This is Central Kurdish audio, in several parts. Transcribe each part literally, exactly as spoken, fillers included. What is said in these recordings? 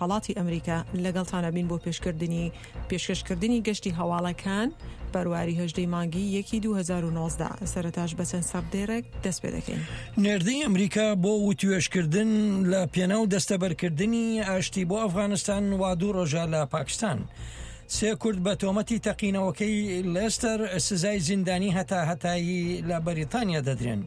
خەڵاتی ئەمریکا لەگەڵتانە بین بۆ پێشکردنی پێشکەشکردنی گەشتی هەواڵەکان بەرواری هەژدەی مانگی یەکی دوو هەزار و نۆزدە. سەرەتاش بە چەند سەردێڕێک دەست پێ دەکەین. نێردەی ئەمریکا بۆ وتوێژکردن لە پێناو دەستەبەرکردنی ئاشتی بۆ ئەفغانستان وا دوو ڕۆژە لە پاکستان. سێ کورد بە تۆمەتی تەقینەوەکەی لێستەر سزای زیندانی هەتا هەتایی لە بەریتانیا دەدرێن.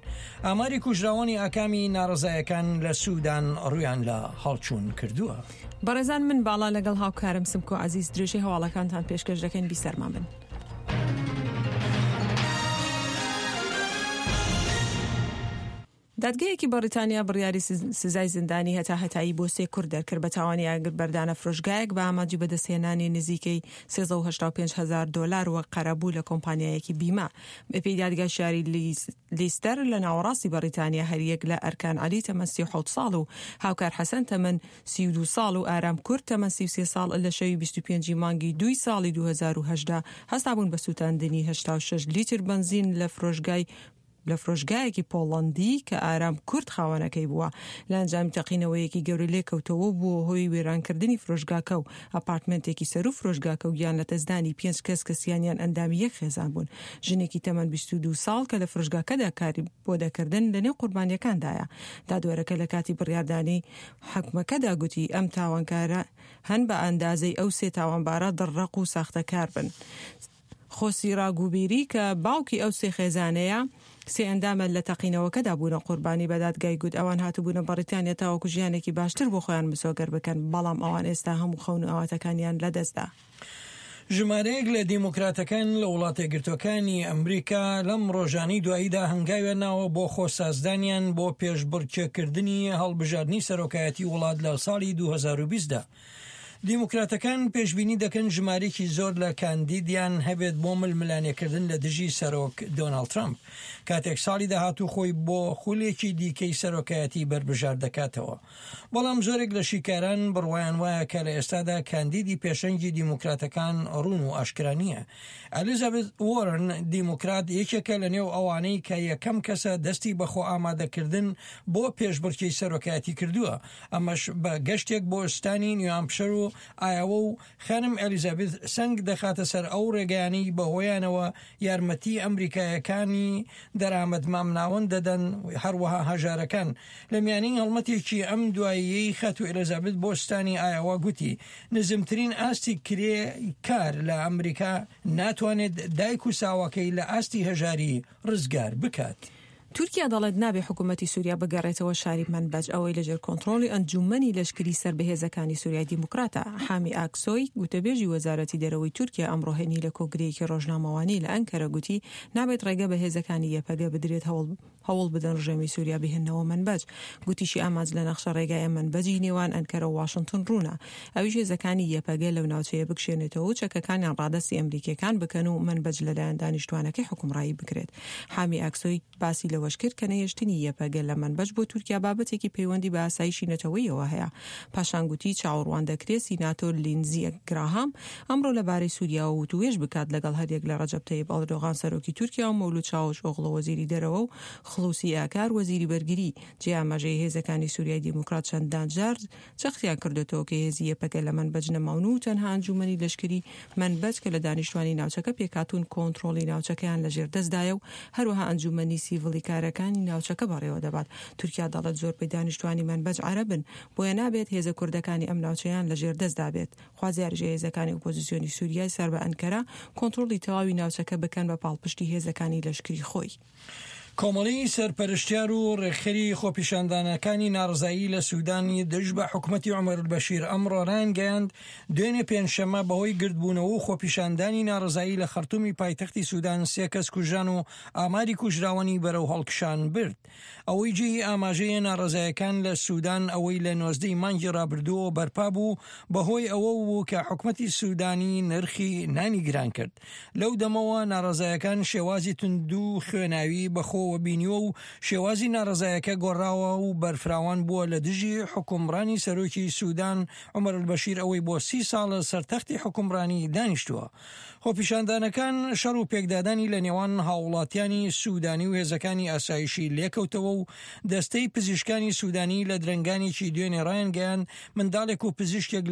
ئاماری کوژراوانی ئاکامی ناڕەزایەکان لە سوودان ڕویان لە هەڵچوون کردووە. بەڕێزان من باڵا لەگەڵ هاوکارم سمکۆ عەزیز درێژەی هەواڵەکانتان پێشکەش دەکەین، بیسەرمان بن. دادگەیەکی بەریتانیا بڕیاری سزای زیندانی هەتا هەتایی بۆ سێ کورد دەرکرد بە تاوانی ئاگر بەردانە فرۆشگایەک بە ئامانجی بەدەستهێنانی نزیکەی سێزدە و هەشتا و پێنج هەزار دۆلار وەک قەرەبوو لە کۆمپانیایەکی بیمە. بەپێی دادگای شاری لیستەر لە ناوەڕاستی بەریتانیا هەریەک لە ئەرکان عەلی تەمەن سی و حەوت ساڵ و هاوکار حەسەن تەمەن سی و دوو ساڵ و ئارام کورد تەمەن سی و سێ ساڵ لە شەوی بیست و پێنجی مانگی دووی ساڵی دوو هەزار و هەژدە هەستابوون بە سووتاندنی هەشتا و شەش لیتر بەنزین لە فرۆشگای لە فرۆشگایەکی پۆڵەندی کە ئارام کورد خاوەنەکەی بووە. لە ئەنجامی تەقینەوەیەکی گەورە لێکەوتەوە بووە هۆی وێرانکردنی فرۆشگاکە و ئەپارتمنتێکی سەر و فرۆشگاکە و گیان لە دەستدانی پێنج کەس کە سیانیان ئەندامی یەک خێزان بوون. ژنێکی تەمەن بیست و دوو ساڵ کە لە فرۆشگاکەدا کاری بۆ دەکردن لەنێو قوربانیەکاندایە. دادوەرەکە لە کاتی بڕیاردانی حکومەکەدا گوتی ئەم تاوانکارە هەن بە ئەندازەی ئەو سێ تاوانبارە دڕڕەق و ساختەکار بن. خۆسی ڕاگوبیری کە باوکی ئەو سێ خێزانەیە سێ ئەندامە لە تەقینەوەکەدا بوونە قوربانی بە دادگای گوت ئەوان هاتبوونە بەریتانیا تاوەکو ژیانێکی باشتر بۆ خۆیان مسۆگەر بکەن، بەڵام ئەوان ئێستا هەموو خەون و ئاواتەکانیان لەدەستدا. ژمارەیەک لە دیموکراتەکان لە وڵاتە یەکگرتووەکانی ئەمریکا لەم ڕۆژانەی دواییدا هەنگاویان ناوە بۆ خۆسازدانیان بۆ پێشبڕکێکردنی هەڵبژاردنی سەرۆکایەتی وڵات لە ساڵی دوو هەزار و بیست دا. دیموکراتەکان پێشبینی دەکەن ژمارەیەکی زۆر لە کاندیدیان هەبێت بۆ ململانێکردن لە دژی سەرۆک دۆناڵد ترامپ کاتێک ساڵی داهاتوو خۆی بۆ خولێکی دیکەی سەرۆکایەتی بەربژار دەکاتەوە. بەڵام زۆرێک لە شیکاران بڕوایان وایە کە لە ئێستادا کاندیدی پێشەنگی دیموکراتەکان ڕوون و ئاشکرا نییە. ئەلیزابێت وۆرن دیموکرات یەکێکە لە نێو ئەوانەی کە یەکەم کەسە دەستی بە خۆ ئامادەکردن بۆ پێشبڕکێی سەرۆکایەتی کردووە، ئەمەش بە گەشتێک بۆ ستانی نیوهامپشەر و ئایاوە و خانم ئەلیزابێت سەنگ دەخاتە سەر ئەو ڕێگەیانەی بەهۆیانەوە یارمەتی ئەمریکایەکانی دەرامەت مامناوەند دەدەن، هەروەها هەژارەکان. لە میانەی هەڵمەتێکی ئەم دواییەی خاتوو ئەلیزابێت بۆ ستانی ئایاوە گوتی نزمترین ئاستی کرێ کار لە ئەمریکا ناتوانێت دایک و ساواکەی لە ئاستی هەژاری ڕزگار بکات. تورکیا دەڵێت نابێ حکوومەتی سووریا بگەڕێتەوە شاری منبەج ئەوەی لەژێر کۆنترۆڵی ئەنجومەنی لەشکری سەر بەهێزەکانی سووریای دیموکراتە. حامی ئاکسۆی گوتەبێژی وەزارەتی دەرەوەی تورکیا ئەمڕۆ هەینی لە کۆگرەیەکی ڕۆژنامەوانی لە ئەنکەرە گوتی نابێت ڕێگە بە هێزەکانی یەپەگە بدرێت هەوڵ هەوڵ بدەن ڕژێمی سووریا بهێننەوە منبەج. گوتیشی ئامانج لە نەخشە ڕێگای منبەجی نێوان ئەنکەرە و واشنگتن ڕوونە، ئەویش هێزەکانی یەپەگە لەو ناوچەیە بکشێنێتەوە و چەکەکانیان ڕادەستی ئەمریکیەکان بکەن و منبەج لەلایەن دانیشتوانەکەی حکومڕایی بکرێت. حامی ئاکسۆی باسی لەوەش کرد کە نەهێشتنی یەپەگە لە منبەج بۆ تورکیا بابەتێکی پەیوەندی بە ئاسایشی نەتەوەیەوە هەیە. پاشان گوتی چاوەڕوان دەکرێت سیناتۆر لینزی گراهام ئەمڕۆ لەبارەی سووریاوە وتوێژ بکات لەگەڵ هەریەک لە ڕەجەب تەیب ئەردۆغان سەرۆکی تورکیا و مەولود چاوش ئۆغڵۆ وەزیری دەرەوە و خلوسی ئاکار وەزیری بەرگری. جێ ئاماژەی هێزەکانی سووریای دیموکرات چەندان جار جەختیان کردوێتەوە کە هێزی یەپەگە لە منبەج نەماون و تەنها ئەنجومەنی لەشکری منبەج کە لە دانیشتوانی ناوچەکە پێکهاتوون کۆنترۆڵی ناوچەکەیان لەژێر دەستدایە و هەروەها ئەنجومەنی سیڤڵی کارەکانی ناوچەکە بەڕێوە دەبات. تورکیا دەڵێت زۆربەی دانیشتوانی منبەج عەرەبن، بۆیە نابێت هێزە کوردەکانی ئەم ناوچەیان لەژێر دەستدا بێت. خوازیاریش هێزەکانی ئۆپۆزیسیۆنی سووریای سەر بە ئەنکەرە کۆنترۆڵی تەواوی ناوچەکە بکەن بە پاڵپشتی هێزەکانی لەشکری خۆی. کۆمەڵی سەرپەرشتیار و ڕێکخەری خۆپیشاندانەکانی ناڕەزایی لە سوودانی دژ بە حکومەتی عومەر البەشیر ئەمڕۆ ڕایانگەیاند دوێنێ پێنجشەممە بەهۆی گردبوونەوە و خۆپیشاندانی ناڕەزایی لە خەرتومی پایتەختی سوودان سێ کەس کوژران و ئاماری کوژراوانی بەرەو هەڵکشان برد. ئەوەی جێی ئاماژەیە ناڕەزایەکان لە سوودان ئەوەی لە نۆزدەی مانگی ڕابردووەوە بەرپا بوو بەهۆی ئەوە بوو کە حکومەتی سوودانی نرخی نانی گران کرد. لەو دەمەوە ناڕەزایەکان شێوازی توند و خوێناوی بەخۆ بەخۆوە بینیوە و شێوازی ناڕەزایەکە گۆڕاوە و بەرفراوان بووە لە دژی حوکمڕانی سەرۆکی سودان عومەر ئەلبەشیر ئەوەی بۆ سی ساڵە سەر تەختی حوکمڕانی دانیشتووە. خۆپیشاندانەکان شەڕ و پێکدادانی لە نێوان هاووڵاتیانی سودانی و هێزەکانی ئاسایشی لێکەوتەوە و دەستەی پزیشکانی سودانی لە درەنگانێکی دوێنێ ڕایانگەیاند منداڵێک و پزیشکێک